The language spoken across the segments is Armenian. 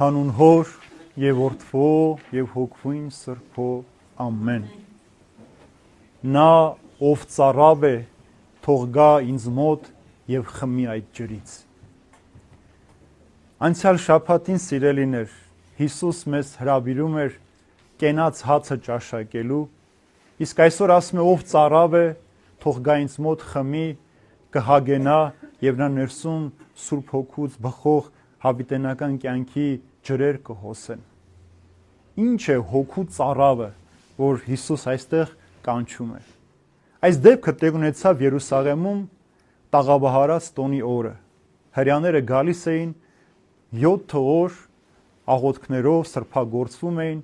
Հանուն Հոր եւ Որդվո եւ Հոգվույն Սրբո ամեն։ Նա ով ծառավ է, թող գա ինձ մոտ եւ խմի այդ ջրից։ Անցյալ շաբաթին սիրելիներ, Հիսուս մեզ հրավիրում էր կենաց հացը ճաշակելու, իսկ այսօր ասում է ով ծառավ է, թող գա ինձ մոտ խմի, կհագենա եւ նա ներսում Սուրբ Հոգուց բխող հավիտենական կյանքի ջրեր կհոսեն։ Ինչ է հոգու ծառավը, որ Հիսուս այստեղ կանչում է։ Այս դեպքը տեղ ունեցավ Երուսաղեմում տաղավարած տոնի օրը։ Հրեաները գալիս էին 7 օր աղոթքներով սրբագործվում էին,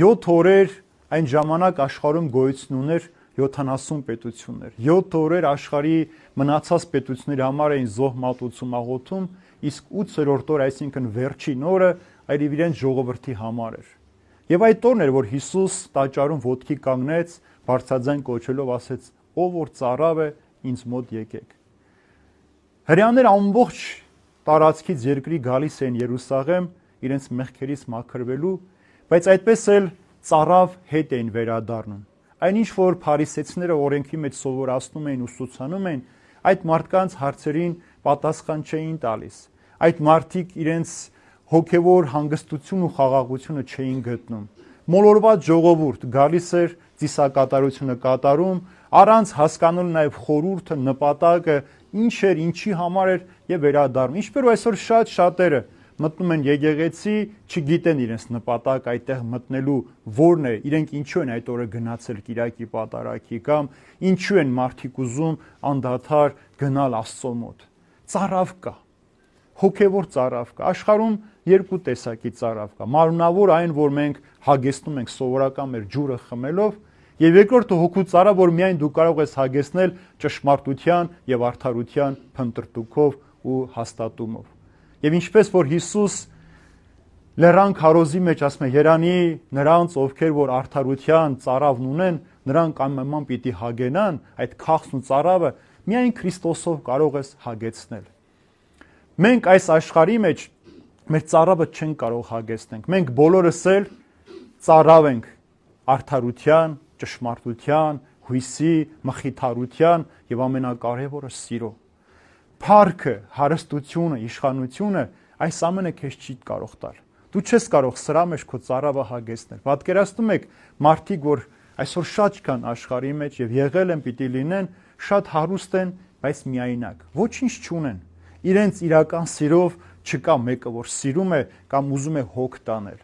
7 օրեր այն ժամանակ աշխարհում գոյություն ուներ 70 պետություններ, 7 օրեր աշխարհի մնացած պետությունների համար էին զոհ մատուցում աղոթում, իսկ 8-րդ օր, այսինքն վերջին օրը, այլ իրենց ժողովրդի համար էր։ Եվ այդ օրն էր, որ Հիսուս տաճարում ոտքի կանգնեց, բարձրաձայն կոչելով ասեց. «Ով որ ծառավ է, ինձ մոտ եկեք»։ Հրեաները ամբողջ տարածքից երկրի գալիս էին Երուսաղեմ իրենց մեղքերից մաքրվելու, բայց այդպես էլ ծառավ հետ էին վերադառնում։ Այնինչ որ փարիսեցիները օրենքի մեջ սովորացնում էին, ուսուցանում էին, այդ մարդկանց հարցերին պատասխան չէին տալիս։ Այդ մարդիկ իրենց հոգևոր հանգստություն ու խաղաղությունը չէին գտնում։ Մոլորված ժողովուրդ գալիս էր ծիսակատարությունը կատարում, առանց հասկանալու նաև խորհուրդը, նպատակը, ինչ էր, ինչի համար էր եւ վերադառնում։ Ինչպես որ այսօր շատերը մտնում են եկեղեցի, չգիտեն իրենց նպատակ այդտեղ մտնելու որն է, իրենք ինչու են այդ օրը գնացել Կիրակի պատարագի կամ ինչու են մարդիկ ուզում անդադար գնալ Աստծո մոտ։ Ծառավ կա, հոգևոր ծառավ կա։ Աշխարհում երկու տեսակի ծառավ կա։ Մարմնավոր այն, որ մենք հագեցնում ենք սովորական մեր ջուրը խմելով, եւ երկրորդը հոգու ծառա, որ միայն դու կարող ես հագեցնել ճշմարտության եւ արդարության փնտրտուքով ու հաստատումով։ Եվ ինչպես որ Հիսուս լեռան քարոզի մեջ ասում է երանի նրանց ովքեր որ արդարության ծառավն ունեն, նրանք անպայման պիտի հագենան, այդ քաղցն ու ծառավը միայն Քրիստոսով կարող ես հագեցնել։ Մենք այս աշխարհի մեջ մեր ծառավը չենք կարող հագեցնել։ Մենք բոլորս էլ ծառավ ենք արդարության, ճշմարտության, հույսի, մխիթարության եւ ամենակարևորը սիրո։ Փառքը, հարստությունը, իշխանությունը այս ամենը քեզ չի կարող տալ։ Դու չես կարող սրա մեջ քո ծառավը հագեցնել։ Պատկերացնում եք մարդիկ, որ այսօր շատ կան աշխարհի մեջ եւ եղել են, պիտի լինեն, շատ հարուստ են, բայց միայնակ, ոչինչ չունեն։ Իրենց իրական սիրով չկա մեկը, որ սիրում է կամ ուզում է հոգ տանել։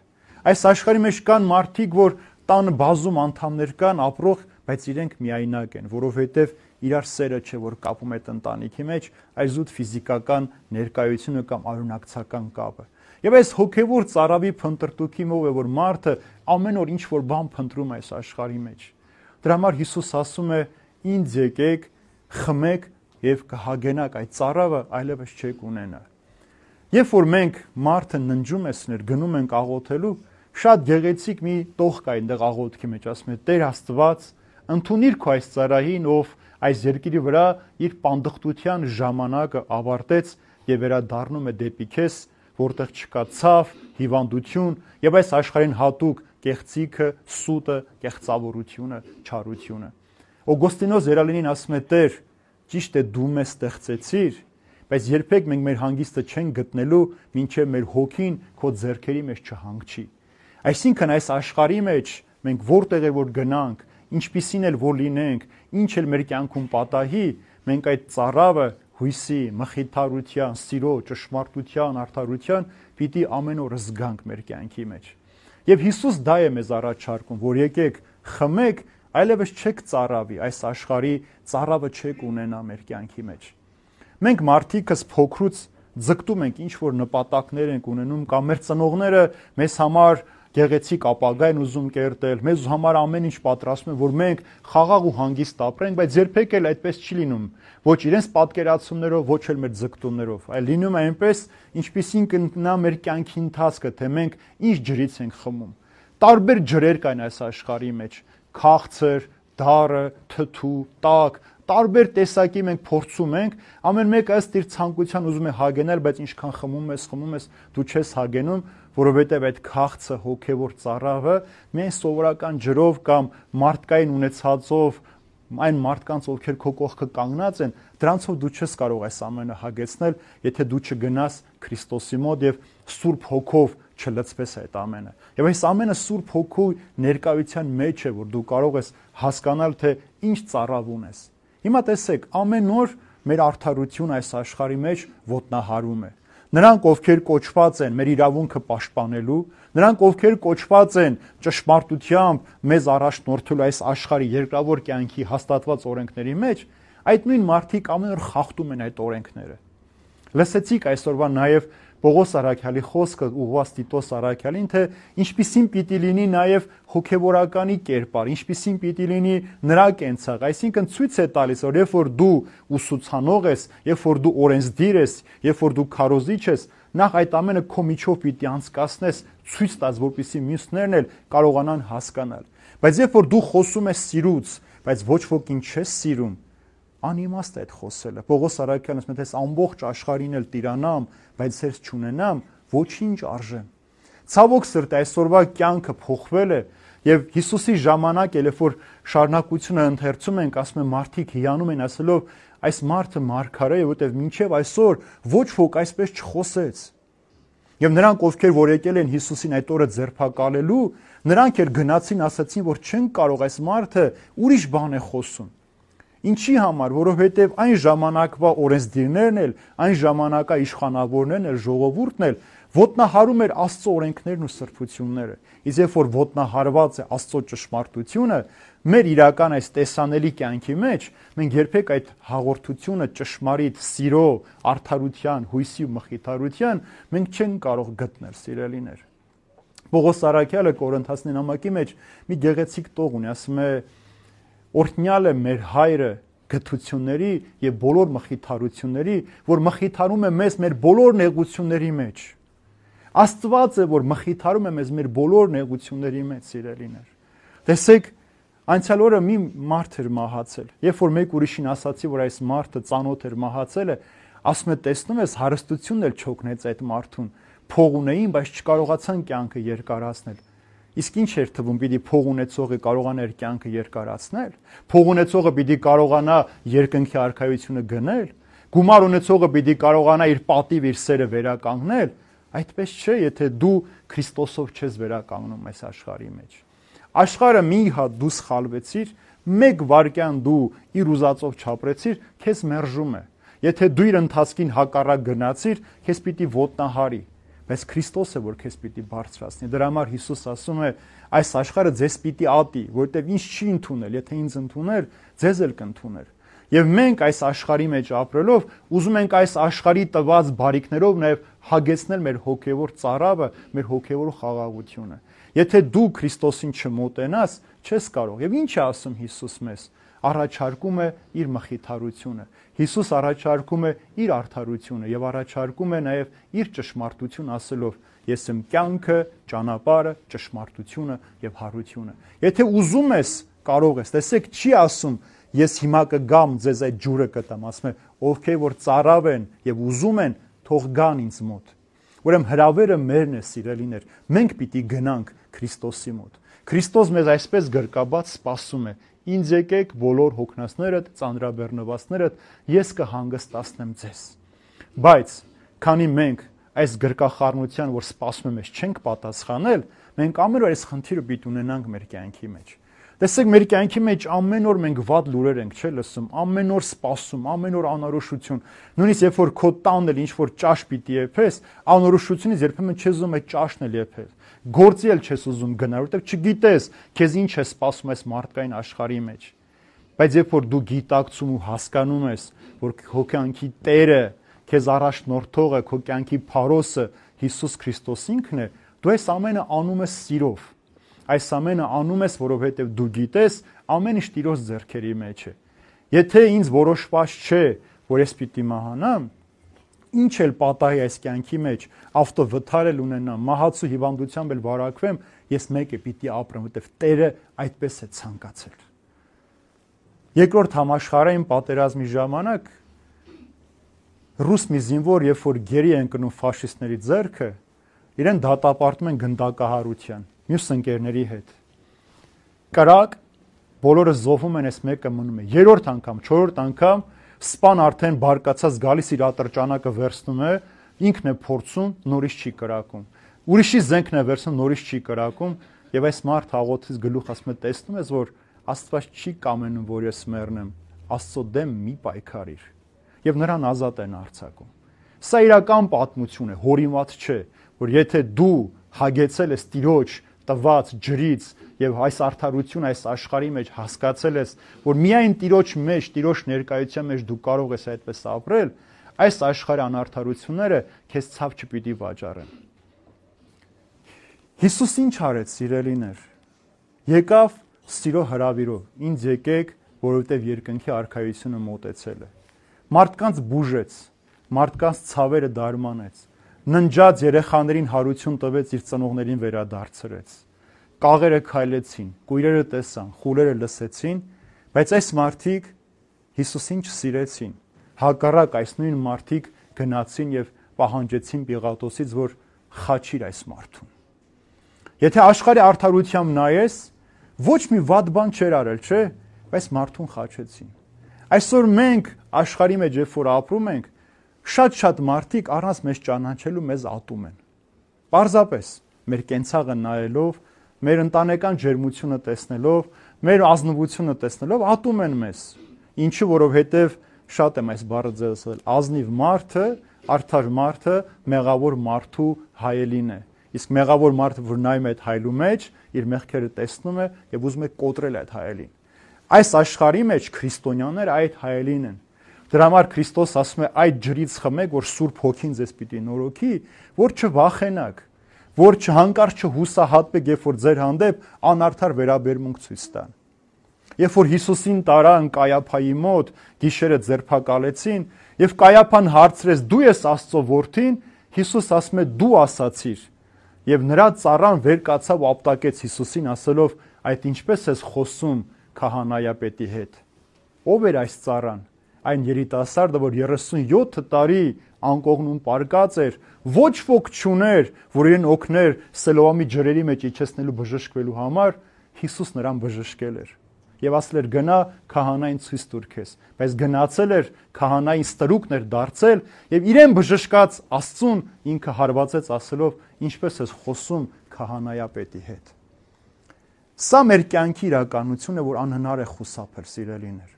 Այս աշխարհի մեջ կան մարդիկ, որ տան բազում անդամներ կան, ապրող, բայց իրենք միայնակ են, որովհետեւ իրար սերը չէ, որ կապում է ընտանիքի մեջ, այլ զուտ ֆիզիկական ներկայությունը կամ արունակցական կապը։ Եվ այս հոգևոր ծառավի փնտրտուքի մով է, որ մարդը ամեն օր ինչ որ բան փնտրում է այս աշխարհի մեջ։ Դրա համար Հիսուս ասում է. «Ինձ եկեք, խմեք եւ կհագենաք այդ ծառավը, այլևս չեք ունենա»։ Երբ որ մենք մարդը ննջում ենք, գնում ենք աղոթելու, շատ գեղեցիկ մի տող կա այնտեղ աղոթքի մեջ, ասում է. «Տեր Աստված, ընդունիր քո այս ծառային, ով այս երկրի վրա իր պանդխտության ժամանակը ավարտեց եւ վերադառնում է դեպի քեզ, որտեղ չկա ցավ, հիվանդություն եւ այս աշխարհին հատուկ կեղծիքը, սուտը, կեղծավորությունը, չարությունը»։ Օգոստինոս Երալինին ասում է. «Տեր, ճիշտ է դու մեզ ստեղծեցիր, բայց երբեք մենք մեր հանգիստը չենք գտնելու, մինչև մեր հոգին քո ձեռքերի մեջ չհանգչի»։ Այսինքն այս աշխարհի մեջ մենք որտեղ է որ գնանք, ինչպիսին էլ որ լինենք, ինչ էլ մեր կյանքում պատահի, մենք այդ ծառավը հույսի, մխիթարության, սիրո, ճշմարտության, արդարության պիտի ամեն օր զգանք մեր կյանքի մեջ։ Եվ Հիսուս դա է մեզ առաջարկում, որ եկեք խմեք, այլևս չեք ծառավի, այս աշխարհի ծառավը չեք ունենա մեր կյանքի մեջ։ Մենք մարդիկս փոքրուց ձգտում ենք ինչ որ նպատակներ ենք ունենում կամ մեր ծնողները մեզ համար գեղեցիկ ապագա են ուզում կերտել, մեզ համար ամեն ինչ պատրաստում են, որ մենք խաղաղ ու հանգիստ ապրենք, բայց երբեք էլ այդպես չի լինում։ Ոչ իրենց պատկերացումներով, ոչ էլ մեր ձգտումներով, այլ լինում է այնպես, ինչպիսին կնա մեր կյանքի ընթացքը, թե մենք ինչ ջրից ենք խմում։ Տարբեր ջրեր կան այս աշխարհի մեջ՝ քաղցր, դառը, թթու, տաք, տարբեր տեսակի մենք փորձում ենք, ամեն մեկը ըստ իր ցանկության ուզում է հագենալ, բայց ինչքան խմում ես, դու չես հագենում, որովհետև այդ քաղցը հոգևոր ծառավը միայն սովորական ջրով կամ մարդկային ունեցածով այն մարդկանց, ովքեր քո կողքը կանգնած են, դրանցով դու չես կարող այս ամենը հագեցնել, եթե դու չգնաս Քրիստոսի մոտ եւ Սուրբ Հոգով չլցվես այդ ամենը։ Եվ այս ամենը Սուրբ Հոգու ներկայության մեջ է, որ դու կարող ես հասկանալ, թե ինչ ծառավ ունես։ Հիմա տեսեք, ամեն օր մեր արդարությունը այս աշխարհի մեջ ոտնահարում է։ Նրանք, ովքեր կոչված են մեր իրավունքը պաշտպանելու, նրանք, ովքեր կոչված են ճշմարտությամբ մեզ առաջնորդելու այս աշխարհի երկրավոր կյանքի հաստատված օրենքների մեջ, այդ նույն մարդիկ ամեն օր խախտում են այդ օրենքները։ Լսեցիք այսօրվա նաև Պողոս առաքյալի խոսքը ուղղված Տիտոս առաքյալին, թե ինչպիսին պիտի լինի նաև հոգևորականի կերպար, ինչպիսին պիտի լինի նրա կենցաղ, այսինքն ցույց է տալիս, որ երբ որ դու ուսուցանող ես, երբ որ դու օրենսդիր ես, երբ որ դու քարոզիչ ես, նախ այդ ամենը քո միջով պիտի անցկացնես, ցույց տաս, որպեսզի մյուսներն էլ կարողանան հասկանալ։ Բայց երբ որ դու խոսում ես սիրուց, բայց ոչ ոքին չես սիրում, անիմաստ է այդ խոսելը։ Պողոս առաքյալն ասում է, թե ամբողջ աշխարհին էլ տիրանամ, բայց ձեզ չունենամ, ոչինչ արժեմ։ Ցավոք սրտի այսօրվա կյանքը փոխվել է եւ Հիսուսի ժամանակ էլ որ շարունակությունը ընթերցում ենք, ասում են մարդիկ հիանում են ասելով, այս մարդը մարգարե է, որտեվ մինչեւ այսօր ոչ ոք այսպես չխոսեց։ Եվ նրանք, ովքեր որ եկել են Հիսուսին այդ օրը ձերբակալելու, նրանք էլ գնացին, ասացին, որ չեն կարող, այս մարդը ուրիշ բան է խոսում։ Ինչի համար, որովհետև այն ժամանակվա օրենսդիրներն էլ, այն ժամանակա իշխանավորներն էլ, ժողովուրդն էլ ոտնահարում էր Աստծո օրենքներն ու սրբությունները։ Իսկ երբ որ ոտնահարված է Աստծո ճշմարտությունը, մեր իրական այս տեսանելի կյանքի մեջ մենք երբեք այդ հաղորդությունը ճշմարիտ սիրո, արդարության, հույսի ու մխիթարության մենք չենք կարող գտնել, սիրելիներ։ Պողոս առաքյալը Կորինթացի նամակի մեջ մի գեղեցիկ տող ունի, ասում է. Օրհնյալ է մեր հայրը գթությունների եւ բոլոր մխիթարությունների, որ մխիթարում է մեզ մեր բոլոր նեղությունների մեջ։ Աստված է, որ մխիթարում է մեզ մեր բոլոր նեղությունների մեջ, սիրելիներ։ Տեսեք, անցյալ օրը մի մարդ էր մահացել։ Երբ որ մեկ ուրիշին ասացի, որ այս մարդը ծանոթ էր մահացել է, ասում է, տեսնում ես, հարստությունն էլ չօգնեց այդ մարդուն։ Փող ունեին, բայց չկարողացան կյանքը երկարացնել։ Իսկ ինչ էր թվում, պիտի փող ունեցողը կարողանա իր կյանքը երկարացնել, փող ունեցողը պիտի կարողանա երկնքի արքայությունը գնել, գումար ունեցողը պիտի կարողանա իր պատիվ, իր սերը վերականգնել, այդպես չէ, եթե դու Քրիստոսով չես վերականգնում այս աշխարհի մեջ։ Աշխարհը մի հատ դու սխալվեցիր, մեկ վայրկյան դու իր ուզածով չապրեցիր, քեզ մերժում է։ Եթե դու իր ընթացքին հակառակ գնացիր, քեզ պիտի ոտնահարի։ Բայց Քրիստոսը, որ քեզ պիտի բարձրացնի, դրա համար Հիսուս ասում է, այս աշխարհը ձեզ պիտի ատի, որտեվ ինձ չի ընդունել, եթե ինձ ընդուներ, ձեզ էլ կընդուներ։ Եվ մենք այս աշխարհի մեջ ապրելով, ուզում ենք այս աշխարհի տված բարիքներով նաև հագեցնել մեր հոգևոր ծառավը, մեր հոգևոր խաղաղությունը։ Եթե դու Քրիստոսին չմոտենաս, չես կարող։ Եվ ինչ է ասում Հիսուս մեզ։ Առաջարկում է իր մխիթարությունը։ Հիսուս առաջարկում է իր արդարությունը եւ առաջարկում է նաեւ իր ճշմարտություն ասելով. Ես եմ կյանքը, ճանապարհը, ճշմարտությունը եւ հարությունը։ Եթե ուզում ես, կարող ես։ Տեսեք, չի ասում ես հիմա կգամ ձեզ այդ ջուրը կտամ, ասում է ովքեր որ ծառավ են եւ ուզում են, թող գան ինձ մոտ։ Ուրեմն հրավերը մերն է, սիրելիներ։ Մենք պիտի գնանք Քրիստոսի մոտ։ Քրիստոս մեզ այսպես գրկաբաց սպասում է. Ինձ եկեք բոլոր հոգնածներդ, ծանրաբեռնվածներդ, ես կհանգստացնեմ ձեզ։ Բայց քանի մենք այս գրկախառնության, որ սպասում եմ, չենք պատասխանել, մենք ամեն օր այս խնդիրը պիտի ունենանք մեր կյանքի մեջ։ Տեսեք, մեր կյանքի մեջ ամեն օր մենք վատ լուրեր ենք, չէ՞ լսում, ամեն օր սպասում, ամեն օր անորոշություն։ Նույնիսկ երբ որ քո տանն էլ ինչ որ ճաշ պիտի եփես, անորոշությունից երբեմն չես ուզում այդ ճաշն էլ եփել։ Գործի էլ չես ուզում գնալ, որովհետև չգիտես, քեզ ինչ է սպասում այս մարդկային աշխարհի մեջ։ Բայց երբ որ դու գիտակցում ու հասկանում ես, որ քո կյանքի Տերը, քեզ առաջնորդողը, քո կյանքի փարոսը Հիսուս Քրիստոս ինքն է, դու այս ամենը անում ես սիրով։ Այս ամենը անում ես, որովհետև դու գիտես, ամեն ինչ Տիրոջ ձեռքերի մեջ է։ Եթե ինձ որոշված չէ, որ ես պիտի մահանամ, ինչ էլ պատահի այս կյանքի մեջ, ավտովթար էլ ունենամ, մահացու հիվանդությամբ էլ վարակվեմ, ես մեկ է պիտի ապրեմ, որովհետև Տերը այդպես է ցանկացել։ Երկրորդ համաշխարհային պատերազմի ժամանակ ռուս մի զինվոր, երբ որ գերի են կնում ֆաշիստների ձեռքը, իրեն դատապարտում են գնդակահարության, մյուս ընկերների հետ։ Կրակ, բոլորը զոհվում են, այս մեկը մնում է։ Երրորդ անգամ, չորրորդ անգամ սպան արդեն բարկացած գալիս իր ատրճանակը վերցնում է, ինքն է փորձում, նորից չի կրակում։ Ուրիշի զենքն է վերցնում, նորից չի կրակում, եւ այս մարդ աղոթից գլուխ ասում է, տեսնում ես, որ Աստված չի կամենում, որ ես մեռնեմ, Աստծո դեմ մի պայքարիր։ Եվ նրան ազատ են արձակում։ Սա իրական պատմություն է, հորինված չէ, որ եթե դու հագեցել ես Տիրոջ տված ջրից եւ այս արդարությունը այս աշխարհի մեջ հասկացել ես, որ միայն Տիրոջ մեջ, Տիրոջ ներկայության մեջ դու կարող ես այդպես ապրել, այս աշխարհի անարդարությունները քեզ ցավ չպիտի վաճառեն։ Հիսուս ինչ արեց, սիրելիներ։ Եկավ սիրո հրավիրով, ինձ եկեք, որովհետև երկնքի արքայությունը մոտեցել է։ Մարդկանց բուժեց, մարդկանց ցավերը դարմանեց, ննջած երեխաներին հարություն տվեց, իր ծնողներին վերադարձրեց։ Կաղերը քայլեցին, կույրերը տեսան, խուլերը լսեցին, բայց այս մարդիկ Հիսուսին չսիրեցին։ Հակառակ այս նույն մարդիկ գնացին եւ պահանջեցին Պիղատոսից, որ խաչիր այս մարդուն։ Եթե աշխարհի արդարությամբ նայես, ոչ մի վատ բան չէր արել, չէ՞, բայց մարդուն խաչեցին։ Այսօր մենք աշխարհի մեջ երբ որ ապրում ենք, շատ մարդիկ առանց մեզ ճանաչելու մեզ ատում են։ Պարզապես մեր կենցաղը նայելով, մեր ընտանեկան ջերմությունը տեսնելով, մեր ազնվությունը տեսնելով ատում են մեզ։ Ինչու, որովհետև շատ եմ այս բառը ձևացրել, ազնիվ մարդը, արդար մարդը մեղավոր մարդու հայելին է։ Իսկ մեղավոր մարդը, որ նայում է այդ հայելու մեջ, իր մեղքերը տեսնում է եւ ուզում է կոտրել այդ հայելին։ Այս աշխարհի մեջ քրիստոնյաները այդ հայելին են։ Դրա համար Քրիստոս ասում է այդ ջրից խմեք, որ Սուրբ Հոգին ձեզ պիտի նորոգի, որ չվախենաք, որ հանկարծ չհուսահատվեք, երբ որ ձեր հանդեպ անարդար վերաբերմունք ցույց տան։ Երբ որ Հիսուսին տարան Կայափայի մոտ, գիշերը ձերբակալեցին, եւ Կայափան հարցրեց՝ դու ես Աստծո որդին, Հիսուս ասում է՝ դու ասացիր։ Եվ նրա ծառան վեր կացավ ու ապտակեց Հիսուսին, ասելով՝ այդ ինչպես ես խոսում քահանայապետի հետ։ Ո՞վ էր այս ծառան։ Այն երիտասարդը, որ 37 տարի անկողնում պարկած էր, ոչ ոք չուներ, որ իրեն օգներ Սելոամի ջրերի մեջ իջեցնելու բժշկվելու համար, Հիսուս նրան բժշկել էր։ Եվ ասել էր գնա քահանային ցույց տուր քեզ, բայց գնացել էր քահանային ստրուկն էր դարձել եւ իրեն բժշկած Աստծուն ինքը հարվածեց ասելով ինչպես ես խոսում քահանայապետի հետ։ Սա մեր կյանքի իրականություն է, որ անհնար է խուսափել, սիրելիներ։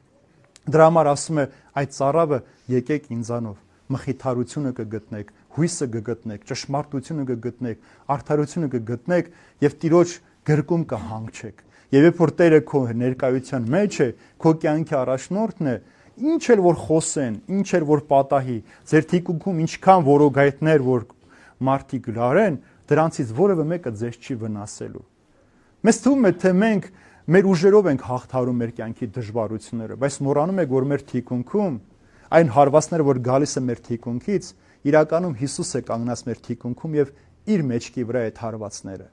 Դրա համար ասում է այդ ծառավը եկեք ինձանով, մխիթարությունը կգտնեք, հույսը կգտնեք, ճշմարտությունը կգտնեք, արդարությունը կգտնեք եւ Տիրոջ գրկում կհանգչեք։ Եվ երբ որ Տերը քո ներկայության մեջ է, քո կյանքի առաջնորդն է, ինչ էլ որ խոսեն, ինչ էլ որ պատահի, ձեր թիկունքում ինչքան որոգայթներ որ մարդիկ լարեն, դրանցից որևէ մեկը ձեզ չի վնասելու։ Մեզ թվում է, թե մենք մեր ուժերով ենք հաղթարում մեր կյանքի դժվարությունները, բայց մոռանում եք, որ մեր թիկունքում այն հարվածները, որ գալիս է մեր թիկունքից, իրականում Հիսուս է կանգնած մեր թիկունքում եւ իր մեջքի վրա այդ հարվածները։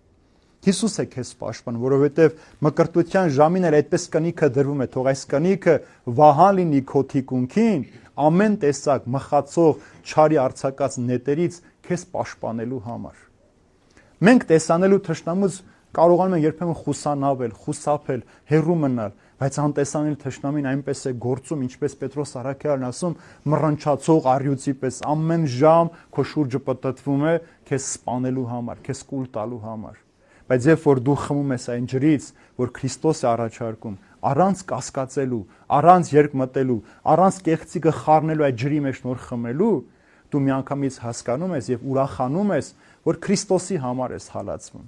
Հիսուս է քեզ պաշտպան, որովհետև մկրտության ժամին էլ այդպես կնիքը դրվում է, թող այս կնիքը վահան լինի քո թիկունքին, ամեն տեսակ մխացող, չարի արձակած նետերից քեզ պաշտպանելու համար։ Մենք տեսանելու թշնամուց կարողանում ենք երբեմն խուսանավել, խուսափել, հեռու մնալ, բայց անտեսանելի թշնամին այնպես է գործում, ինչպես Պետրոս Առաքյալն ասում, մռնչացող առյուծի պես ամեն ժամ քո շուրջը պտտվում է քեզ սպանելու համար, քեզ կուլ տալու համար։ Բայց երբ որ դու խմում ես այն ջրից, որ Քրիստոս է առաջարկում, առանց կասկածելու, առանց երկմտելու, առանց կեղծիկը խառնելու այդ ջրի մեջ նոր խմելու, դու միանգամից հասկանում ես եւ ուրախանում ես, որ Քրիստոսի համար ես հալածվում։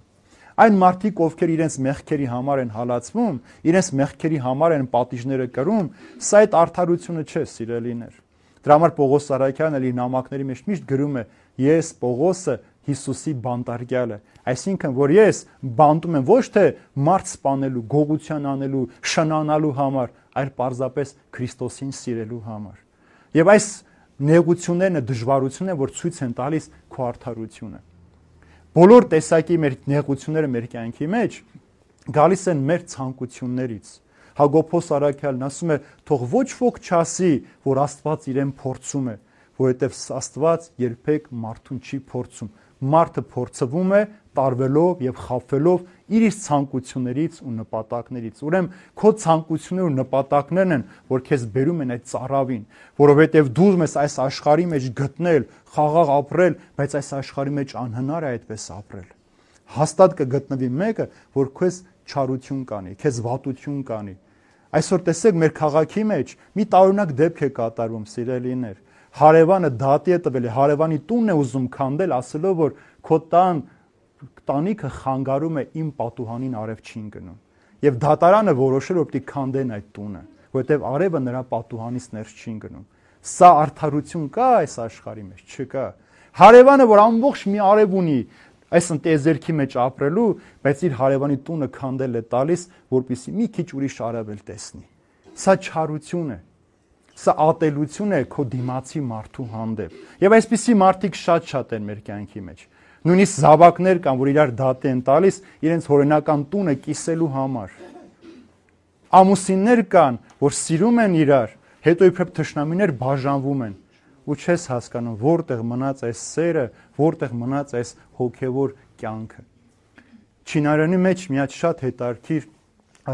Այն մարդիկ, ովքեր իրենց մեղքերի համար են հալածվում, իրենց մեղքերի համար են պատիժները կրում, սա այդ արդարությունը չէ, սիրելիներ։ Դրա համար Պողոս Առաքյալն իր նամակների մեջ միշտ գրում է. ես Պողոսը Հիսուսի բանտարկյալը, այսինքն որ ես բանտում եմ ոչ թե մարդ սպանելու, գողության անելու, շնանալու համար, այլ պարզապես Քրիստոսին սիրելու համար։ Եվ այս նեղություններն, դժվարություններն են, որ ցույց են տալիս քո արդարությունը։ Բոլոր տեսակի մեր նեղությունները մեր կյանքի մեջ գալիս են մեր ցանկություններից, Հակոբոս Արաքյալն ասում է, թող ոչ ոք չասի, որ Աստված իրեն փորձում է, որովհետև Աստված երբեք մարդուն չի փորձում։ Մարդը փորձվում է տարվելով եւ խաբվելով իր ցանկություններից ու նպատակներից։ Ուրեմն քո ցանկությունները ու նպատակներն են, որ քեզ բերում են այդ ծառավին, որովհետեւ դու ուզում ես այս աշխարհի մեջ գտնել, խաղաղ ապրել, բայց այս աշխարհի մեջ անհնար է այդպես ապրել։ Հաստատ կգտնվի մեկը, որ քեզ չարություն կանի, քեզ վատություն կանի։ Այսօր տեսեք մեր քաղաքի մեջ մի տարօրինակ դեպք է կատարվում, սիրելիներ։ Հարևանը դատի է տվել, հարևանի տունն է ուզում քանդել, ասելով, որ քո տանիքը խանգարում է իմ պատուհանին արև չին գնում։ Եվ դատարանը որոշել, որ պիտի քանդեն այդ տունը, որովհետև արևը նրա պատուհանից ներս չին գնում։ Սա արդարություն կա այս աշխարհի մեջ, չկա։ Հարևանը, որ ամբողջ մի արև ունի, այս ընտեզերքի մեջ ապրելու, բայց իր հարևանի տունը քանդել է տալիս, որպեսզի մի քիչ ուրիշ արևել տեսնի։ Սա չարություն է։ Սա ատելություն է քո դիմացի մարդու հանդեպ։ Եվ այսպիսի մարդիկ շատ են մեր կյանքի մեջ։ Նույնիսկ զավակներ կան, որ իրար դատի են տալիս իրենց հորինական տունը կիսելու համար։ Ամուսիններ կան, որ սիրում են իրար, հետո իբրև թշնամիներ բաժանվում են։ Ու չես հասկանում, որտեղ մնաց այս սերը, որտեղ մնաց այս հոգևոր կյանքը։ Չինարենի մեջ մի հատ շատ հետաքրքիր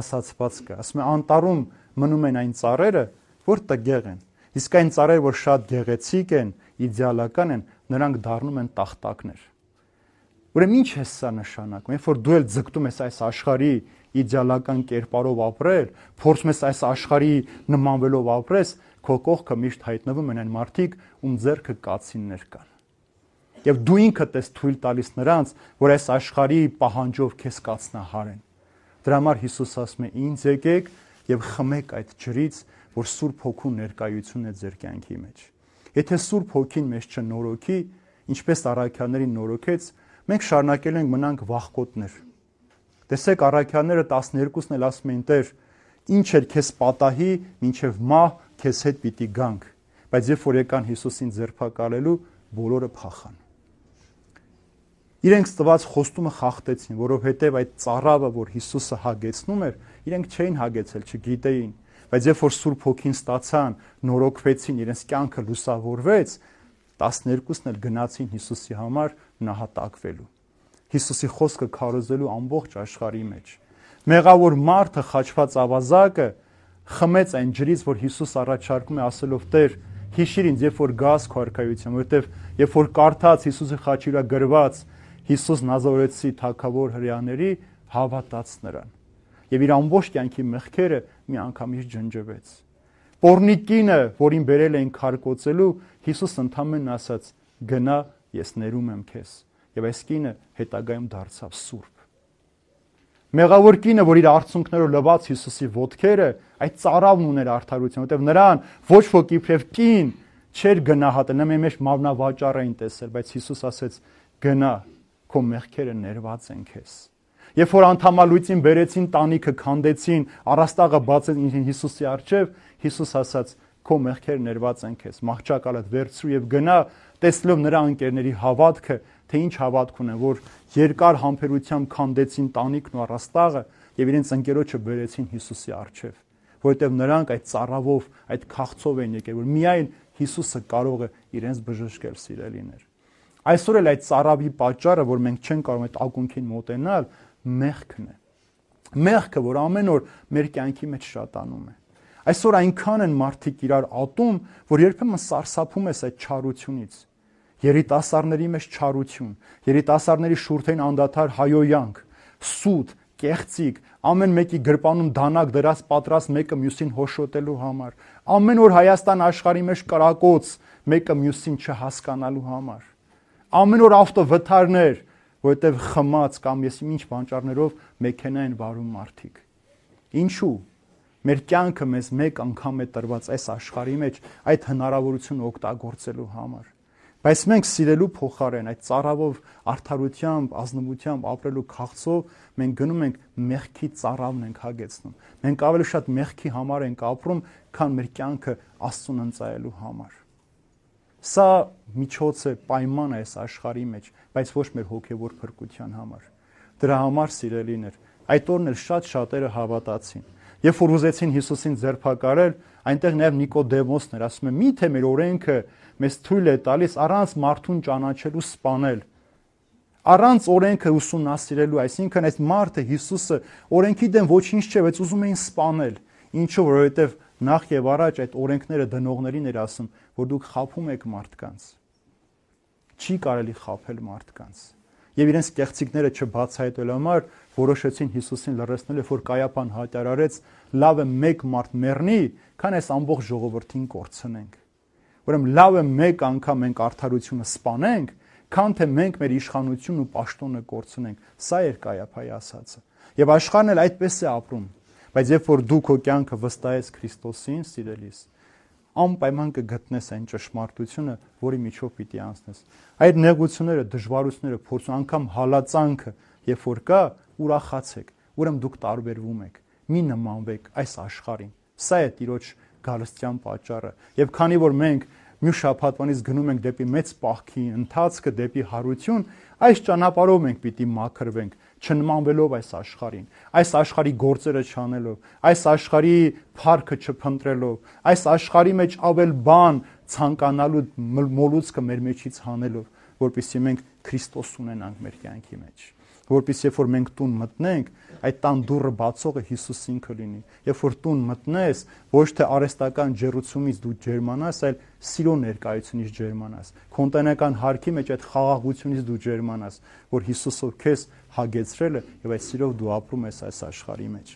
ասացված կա։ Ասում է անտառում մնում են այն ծառերը, որ տգեղ են։ Իսկ այն ծառերը, որ շատ գեղեցիկ են, իդեալական են, նրանք դառնում են տախտակներ։ Ուրեմն ինչ է սա նշանակում։ Երբ որ դու էլ ձգտում ես այս աշխարհի իդեալական կերպարով ապրել, փորձում ես այս աշխարհի նմանվելով ապրես, քո կողքը միշտ հայտնվում են այն մարդիկ, ում ձեռքը կացիններ կան։ Եվ դու ինքդ ես թույլ տալիս նրանց, որ այս աշխարհի պահանջով քեզ կացնահարեն։ Դրա համար Հիսուս ասում է. ինձ եկեք եւ խմեք այդ ջրից, որ Սուրբ Հոգու ներկայությունն է ձեր կյանքի մեջ։ Եթե Սուրբ Հոգին մեզ չնորոգի, ինչպես առաքյալներին նորոգեց, մենք շարունակել ենք մնանք վախկոտներ։ Տեսեք, առաքյալները 12-ն էլ ասում էին. Տեր, ինչ էր քեզ պատահի, մինչև մահ քեզ հետ պիտի գանք, բայց երբ որ եկան Հիսուսին ձերբակալելու, բոլորը փախան։ Իրենք ստված խոստումը խախտեցին, որովհետև այդ ծառավը, որ Հիսուսը հագեցնում էր, իրենք չէին հագեցել, չգիտեին, բայց երբ որ Սուրբ Հոգին ստացան, նորոգվեցին, իրենց կյանքը լուսավորվեց, 12-ն էլ գնացին Հիսուսի համար նահատակվելու։ Հիսուսի խոսքը քարոզելու ամբողջ աշխարհի մեջ։ Մեղավոր մարդը, խաչված ավազակը խմեց այն ջրից, որ Հիսուս առաջարկում է, ասելով. Տեր, հիշիր ինձ, երբ որ գաս քո արքայության, որովհետև երբ որ կարդաց Հիսուսի խաչի վրա գրված Հիսուս Նազարեթցի թագավոր հրեաների, հավատաց նրան։ Եվ իր ամբողջ կյանքի մեղքերը մի անգամից ջնջվեց։ Պոռնիկինը, որին բերել էին քարկոծելու, Հիսուս ընդհանրապես ասաց. գնա, ես ներում եմ քեզ։ Եվ այս կինը հետագայում դարձավ սուրբ։ Մեղավոր կինը, որ իր արցունքներով լվաց Հիսուսի ոտքերը, այդ ծառավն ուներ արդարություն, որտեղ նրան ոչ ոք իբրև կին չէր գնահատել, նա մեր մարմնավաճառ էին տեսել, բայց Հիսուս ասեց. գնա, քո մեղքերը ներված են քեզ։ Երբ որ անդամալույծին բերեցին, տանիքը քանդեցին, առաստաղը բացեցին Հիսուսի առջև, Հիսուս ասաց. քո մեղքերը ներված են քեզ, մահճակալդ վերցրու եւ գնա, տեսնելով նրա ընկերների հավատքը, թե ինչ հավատք ունեն, որ երկար համբերությամբ քանդեցին տանիքն ու առաստաղը եւ իրենց ընկերոջը բերեցին Հիսուսի առջև, որովհետեւ նրանք այդ ծառավով, այդ քաղցով են եկել, որ միայն Հիսուսը կարող է իրենց բժշկել, սիրելիներ։ Այսօր էլ այդ ծառավի պատճառը, որ մենք չենք կարող այդ ակունքին մոտենալ, մեղքն է։ Մեղքը, որ ամեն օր մեր կյանքի մեջ շատանում է։ Այսօր այնքան են մարդիկ իրար ատում, որ երբեմն սարսափում ես այդ չարությունից։ Երիտասարդների մեջ չարություն, երիտասարդների շուրթերին անդադար հայոյանք, սուտ, կեղծիկ, ամեն մեկի գրպանում դանակ դրած պատրաստ մեկը մյուսին հոշոտելու համար, ամեն օր Հայաստան աշխարհի մեջ կրակոց, մեկը մյուսին չհասկանալու համար, ամեն օր ավտովթարներ, որովհետև խմած կամ ես ինչ բանջարներով մեքենա են վարում մարդիկ։ Ինչու՞։ Մեր կյանքը մեզ մեկ անգամ է տրված այս աշխարհի մեջ այդ հնարավորությունը օգտագործելու համար։ Բայց մենք սիրելու փոխարեն այդ ծառավով արդարությամբ, ազնվությամբ ապրելու քաղցով մենք գնում ենք մեղքի ծառավն ենք հագեցնում։ Մենք ավելի շատ մեղքի համար ենք ապրում, քան մեր կյանքը Աստծուն ընծայելու համար։ Սա միջոց է, պայման է այս աշխարհի մեջ, բայց ոչ մեր հոգևոր փրկության համար։ Դրա համար, սիրելիներ, այդ օրն էլ շատ շատերը հավատացին։ Երբ որ ուզեցին Հիսուսին ձերբակալել, այնտեղ նաև Նիկոդեմոսն էր, ասում է՝ միթե մեր օրենքը մեզ թույլ է տալիս առանց մարդուն ճանաչելու սպանել։ Առանց օրենքը ուսումնասիրելու, այսինքն այս մարդը Հիսուսը օրենքի դեմ ոչինչ չէ, բայց ուզում էին սպանել։ Ինչու, որովհետև նախ եւ առաջ այդ օրենքները դնողներին էր ասում, որ դուք խաբում եք մարդկանց։ Չի կարելի խաբել մարդկանց։ Եվ իրենց կեղծիքները չբացահայտելու համար որոշեցին Հիսուսին լռեցնել, որ Կայափան հայտարարեց, լավ է մեկ մարդ մեռնի, քան այս ամբողջ ժողովրդին կորցնենք։ Ուրեմն լավ է մեկ անգամ մենք արդարությունը սպանենք, քան թե մենք մեր իշխանությունն ու պաշտոնը կորցնենք։ Սա էր Կայափայի ասածը։ Եվ աշխարհն էլ այդպես է ապրում։ Բայց երբ որ դու քո կյանքը վստահես Քրիստոսին, սիրելիս, անպայման կգտնես այն ճշմարտությունը, որի միջով պիտի անցնես։ Այդ նեղությունները, դժվարությունները, փորձը, անգամ հալածանքը, երբ որ կա, ուրախացեք, ուրեմն դուք տարբերվում եք, մի նմանվեք այս աշխարհին։ Սա է Տիրոջ գալստյան պատճառը։ Եվ քանի որ մենք մյուս շաբաթվանից գնում ենք դեպի մեծ պահքի ընթացքը, դեպի հարություն, այս ճանապարհով մենք պիտի մաքրվենք, չնմանվելով այս աշխարհին, այս աշխարհի գործերը չանելով, այս աշխարհի փառքը չփնտրելով, այս աշխարհի մեջ ավել բան ցանկանալու մոլուցքը մեր մեջից հանելով, որպեսզի մենք Քրիստոս ունենանք մեր կյանքի մեջ, որպեսզի երբ որ մենք տուն մտնենք, այդ տան դուռը բացողը Հիսուս ինքը լինի։ Երբ որ տուն մտնես, ոչ թե արհեստական ջերուցումից դու ջերմանաս, այլ սիրո ներկայությունից ջերմանաս։ Քո ընտանեկան հարկի մեջ այդ խաղաղությունից դու ջերմանաս, որ Հիսուսով քեզ հագեցրել է եւ այդ սիրով դու ապրում ես այս աշխարհի մեջ։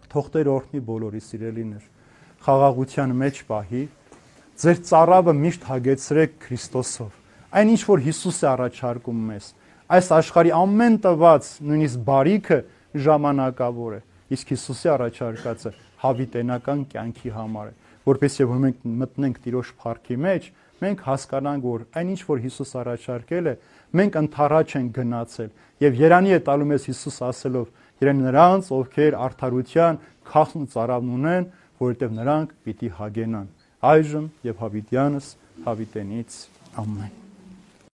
Թող Տեր օրհնի բոլորի սիրելիներ, խաղաղության մեջ պահի, ձեր ծառավը միշտ հագեցրեք Քրիստոսով։ Այն ինչ որ Հիսուս է առաջարկում մեզ, այս աշխարհի ամեն տված նույնիսկ բարիքը ժամանակավոր է, իսկ Հիսուսի առաջարկածը հավիտենական կյանքի համար է, որպես եւ մենք մտնենք Տիրոջ փառքի մեջ, մենք հասկանանք, որ այնինչ որ Հիսուս առաջարկել է, մենք ընթառաջ ենք գնացել եւ երանի է տալու մեզ Հիսուս ասելով, երանի նրանց, ովքեր արդարության քաղցն ու ծարավն ունեն, որովհետեւ նրանք պիտի հագենան այժմ եւ հավիտյանս հավիտենից ամեն